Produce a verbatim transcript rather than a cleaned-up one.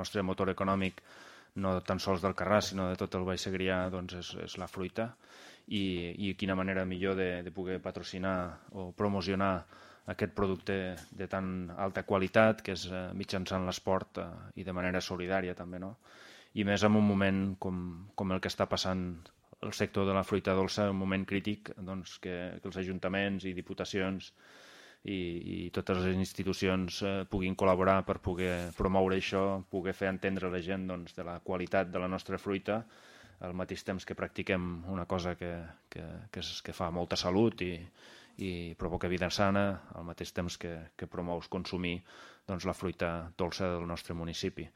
nostre motor econòmic, no tan sols del Carràs, sinó de tot el Baix Segrià, doncs és, és la fruita. I, i quina manera millor de, de poder patrocinar o promocionar aquest producte de tan alta qualitat, que és eh, mitjançant l'esport eh, i de manera solidària també, no? I més en un moment com, com el que està passant el sector de la fruita dolça, un moment crític, doncs, que, que els ajuntaments i diputacions i, i totes les institucions eh, puguin col·laborar per poder promoure això, poder fer entendre a la gent doncs, de la qualitat de la nostra fruita, al mateix temps que practiquem una cosa que, que, que, és, que fa molta salut i, i provoca vida sana, al mateix temps que, que promous consumir doncs, la fruita dolça del nostre municipi.